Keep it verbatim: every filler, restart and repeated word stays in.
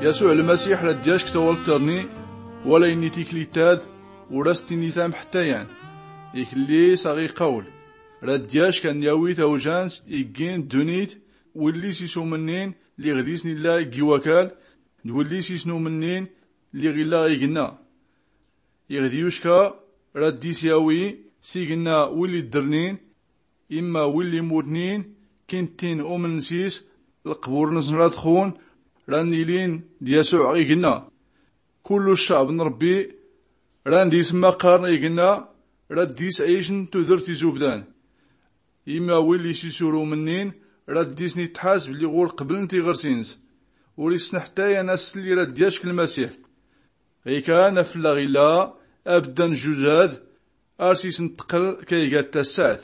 Yasuɛ lmasiḥ rad-yack tawalt tărni, wala inni tiklit-ad ur-as-tinni tamḥ ttayan. Iklli s-aɣ-iqawl, rad-yack ann-yawi tawjant iggin ddunit, willi s-isumnin lliɣ dis-n illa iggi wakal, d-willi s-isnumnin lliɣ illa igenna. Iɣd-yucka rad-dis-yawi s-igenna willi ddrnin, imma willi mutnin, kintin umnn s-is, lqbur-nsn rad-xun, rad-nilin d-yasuɛ igenna. Kullu ccɛb n-rbbi rad-dis-mmaqarn igenna, rad-dis-ɛicn tudrt izubdan. Imma willi s-isur umnnin, rad-dis-nn-itḥasb lliɣ ur-qbln tiɣrsi-ns. Ur-issn ḥttayan ass-lli rad-yack lmasiḥ. Ɣikan afllaɣ illa, abdda n-juzad, ars-isn-tql kaygat tassat.